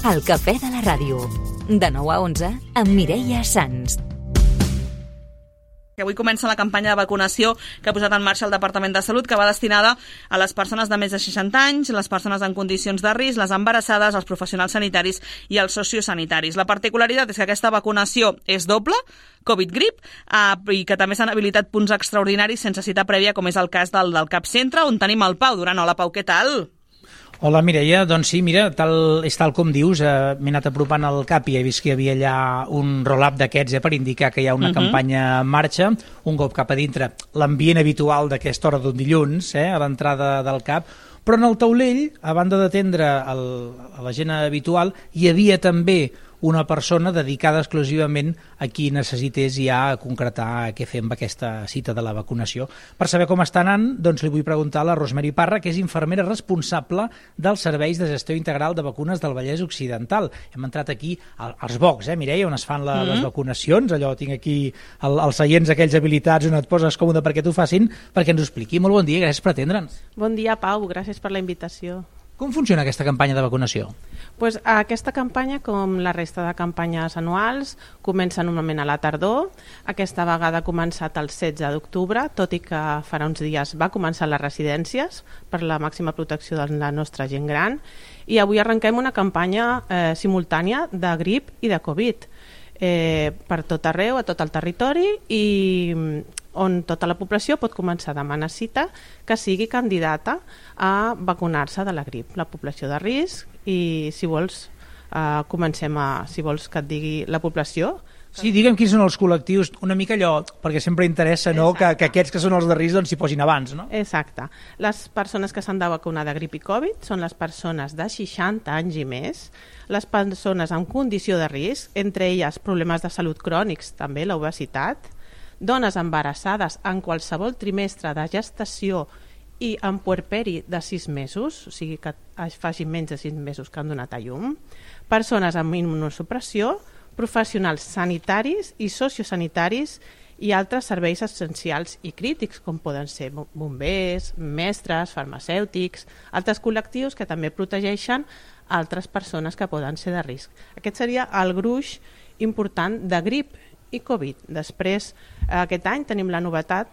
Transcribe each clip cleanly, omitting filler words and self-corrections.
El Cafè de la Ràdio. De 9 a 11 amb Mireia Sans. Avui comença la campanya de vacunació que ha posat en marxa el Departament de Salut, que va destinada a les persones de més de 60 anys, les persones en condicions de risc, les embarassades, els professionals sanitaris i els sociosanitaris. La particularitat és que aquesta vacunació és doble, Covid-Grip, i que també s'han habilitat punts extraordinaris sense cita prèvia, com és el cas del CAP Centre, on tenim el Pau Duran. Hola, Pau, què tal? Hola, Mireia. Doncs sí, mira, és tal com dius, m'he anat apropant al CAP i he vist que hi havia allà un roll-up d'aquests per indicar que hi ha una campanya en marxa, un cop cap a dintre, l'ambient habitual d'aquesta hora d'un dilluns, a l'entrada del CAP, però en el taulell, a banda d'atendre a la gent habitual, hi havia també una persona dedicada exclusivament a qui necessités ja concretar què fer amb aquesta cita de la vacunació. Per saber com està anant, doncs li vull preguntar a la Rosemary Parra, que és infermera responsable dels serveis de gestió integral de vacunes del Vallès Occidental. Hem entrat aquí als bocs, Mireia, on es fan les vacunacions, allò tinc aquí els seients aquells habilitats on et poses còmode perquè t'ho facin, perquè ens ho expliqui. Molt bon dia, gràcies per atendre'ns. Bon dia, Pau, gràcies per la invitació. Com funciona aquesta campanya de vacunació? Pues aquesta campanya, com la resta de campanyes anuals, comença normalment a la tardor. Aquesta vegada ha començat el 16 d'octubre, tot i que farà uns dies va començar a les residències per la màxima protecció de la nostra gent gran. I avui arrenquem una campanya simultània de grip i de Covid per tot arreu, a tot el territori, i on tota la població pot començar a demanar cita que sigui candidata a vacunar-se de la grip, la població de risc. I si vols si vols que et digui la població. Sí, digue'm quins són els col·lectius, una mica allò, perquè sempre interessa que aquests que són els de risc s'hi posin abans, no? Exacte. Les persones que s'han de vacunar de grip i Covid són les persones de 60 anys i més, les persones amb condició de risc, entre elles problemes de salut crònics, també l'obesitat, dones embarassades en qualsevol trimestre de gestació i en puerperi de 6 mesos, o sigui que facin menys de 6 mesos que han donat a llum, persones amb immunosupressió, professionals sanitaris i sociosanitaris i altres serveis essencials i crítics, com poden ser bombers, mestres, farmacèutics, altres col·lectius que també protegeixen altres persones que poden ser de risc. Aquest seria el gruix important de grip i Covid. Després, aquest any tenim la novetat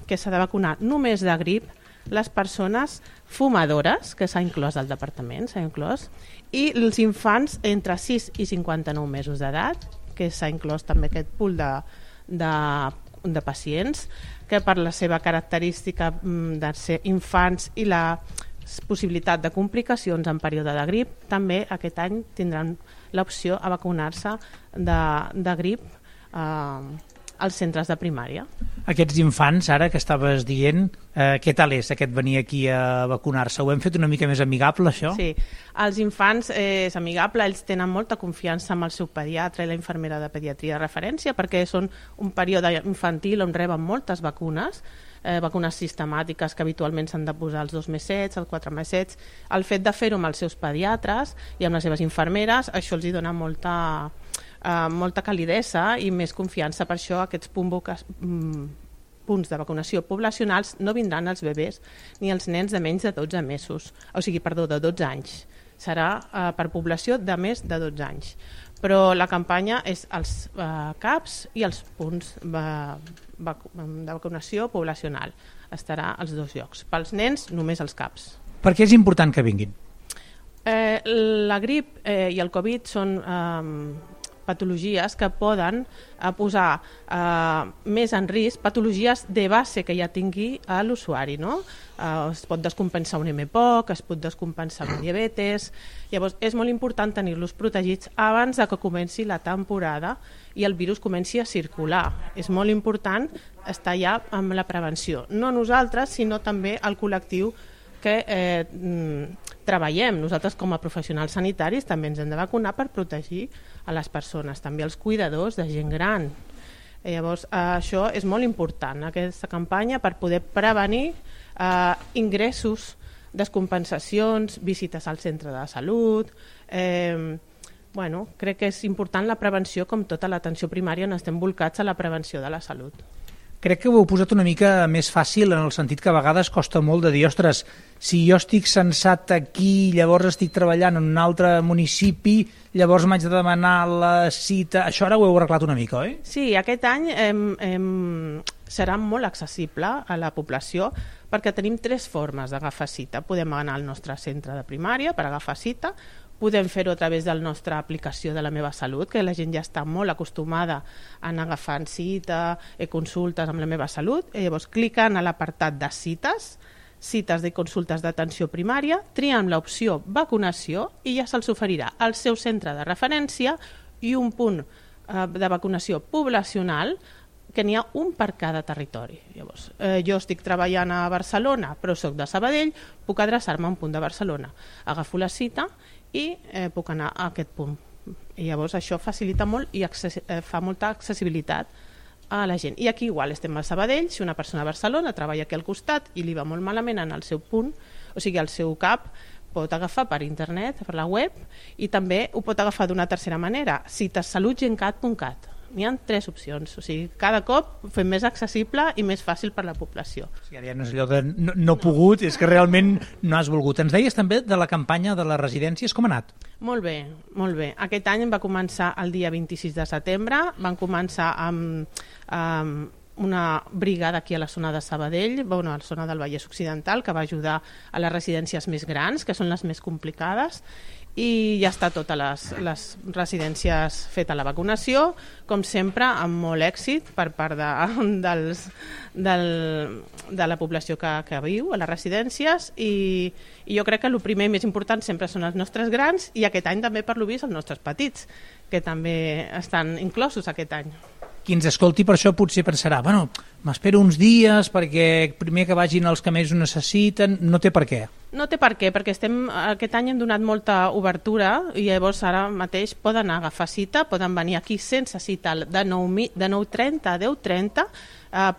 que s'ha de vacunar només de grip les persones fumadores, que s'ha inclòs al departament, i els infants entre 6 i 59 mesos d'edat, que s'ha inclòs també aquest pool de pacients, que per la seva característica de ser infants i la possibilitat de complicacions en període de grip, també aquest any tindran l'opció a vacunar-se de grip als centres de primària. Aquests infants, ara que estaves dient, què tal és aquest venir aquí a vacunar-se? Ho hem fet una mica més amigable, això? Sí, els infants és amigable, ells tenen molta confiança amb el seu pediatre i la infermera de pediatria de referència, perquè són un període infantil on reben moltes vacunes, vacunes sistemàtiques que habitualment s'han de posar els 2+7, els 4+7. El fet de fer-ho amb els seus pediatres i amb les seves infermeres, això els hi dona molta calidesa i més confiança. Per això aquests punts de vacunació poblacionals no vindran als bebès ni als nens de menys de 12 mesos, de 12 anys. Serà per població de més de 12 anys. Però la campanya és als CAPs i els punts de vacunació poblacional. Estarà als dos llocs. Pels nens, només als CAPs. Per què és important que vinguin? La grip i el Covid són patologies que poden posar més en risc patologies de base que ja tingui l'usuari, no? Es pot descompensar un mpoc, es pot descompensar un diabetes. Llavors és molt important tenir-los protegits abans de que comenci la temporada i el virus comenci a circular. És molt important estar ja amb la prevenció, no nosaltres sinó també el col·lectiu que treballem. Nosaltres com a professionals sanitaris també ens hem de vacunar per protegir a les persones, també els cuidadors de gent gran. Llavors això és molt important, aquesta campanya, per poder prevenir ingressos, descompensacions, visites al centre de salut. Crec que és important la prevenció, com tota l'atenció primària on estem volcats a la prevenció de la salut. crec que ho heu posat una mica més fàcil en el sentit que a vegades costa molt de dir, ostres, si jo estic censat aquí, llavors estic treballant en un altre municipi, llavors m'haig de demanar la cita... Això ara ho heu arreglat una mica, oi? Sí, aquest any serà molt accessible a la població perquè tenim 3 formes d'agafar cita. Podem anar al nostre centre de primària per agafar cita, podem fer-ho a través de la nostra aplicació de la Meva Salut, que la gent ja està molt acostumada a anar agafant cita, consultes amb la Meva Salut, i llavors cliquen a l'apartat de cites de consultes d'atenció primària, trien l'opció vacunació i ja se'ls oferirà al seu centre de referència i un punt de vacunació poblacional que n'hi ha un per cada territori. Llavors, jo estic treballant a Barcelona, però soc de Sabadell, puc adreçar-me a un punt de Barcelona. Agafo la cita i puc anar a aquest punt. I llavors això facilita molt i fa molta accessibilitat a la gent. I aquí igual estem a Sabadell, si una persona a Barcelona treballa aquí al costat i li va molt malament en el seu punt, o sigui, al seu CAP, pot agafar per internet, per la web, i també ho pot agafar d'una tercera manera, citassalutgencat.cat. N'hi ha 3 opcions, o sigui, cada cop ho fem més accessible i més fàcil per la població. O sigui, ja no és allò de no pogut, és que realment no has volgut. Ens deies també de la campanya de les residències, com ha anat? Molt bé, molt bé. Aquest any va començar el dia 26 de setembre, van començar amb una brigada aquí a la zona de Sabadell, a la zona del Vallès Occidental, que va ajudar a les residències més grans, que són les més complicades, i ja està totes les residències feta la vacunació, com sempre, amb molt èxit per part de la població que viu a les residències, i jo crec que el primer i més important sempre són els nostres grans, i aquest any també, per lo vist, els nostres petits, que també estan inclosos aquest any. Qui ens escolti per això potser pensarà, bueno, m'espero uns dies perquè primer que vagin els que més ho necessiten, no té per què. No té per què, perquè aquest any hem donat molta obertura i llavors ara mateix poden agafar cita, poden venir aquí sense cita de 9:30 a 10:30,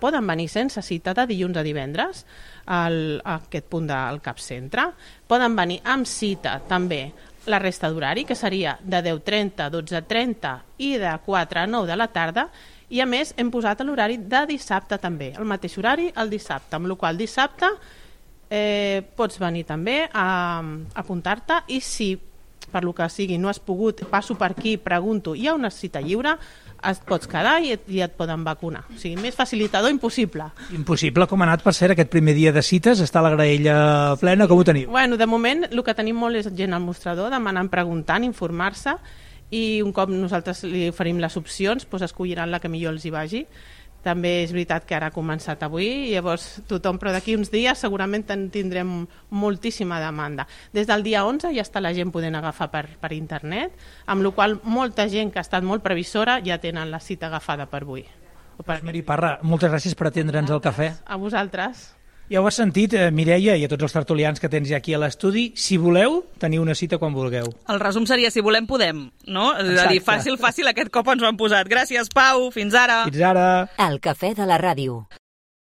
poden venir sense cita de dilluns a divendres a aquest punt del CAP Centre, poden venir amb cita també la resta d'horari, que seria de 10:30 a 12:30 i de 4 a 9 de la tarda, i a més hem posat l'horari de dissabte també, el mateix horari el dissabte, amb la qual cosa dissabte pots venir també a apuntar-te, i si per lo que sigui no has pogut, passo per aquí, pregunto, hi ha una cita lliure, et pots quedar i et poden vacunar. O sigui, més facilitador impossible. Impossible. Com ha anat, per cert, aquest primer dia de cites? Està la graella plena? Com ho teniu? Bueno, de moment el que tenim molt és gent al mostrador demanant, preguntant, informar-se, i un cop nosaltres li oferim les opcions, doncs escolliran la que millor els hi vagi. També és veritat que ara ha començat avui, i llavors tothom, però d'aquí uns dies segurament tindrem moltíssima demanda. Des del dia 11 ja està la gent podent agafar per internet, amb la qual molta gent que ha estat molt previsora ja tenen la cita agafada per avui. Meri Parra, moltes gràcies per atendre'ns al cafè. A vosaltres. Ja ho has sentit, Mireia, i a tots els tertulians que tens ja aquí a l'estudi. Si voleu, teniu una cita quan vulgueu. El resum seria, si volem, podem, no? És a dir, fàcil, aquest cop ens ho han posat. Gràcies, Pau, fins ara. Fins ara. El cafè de la ràdio.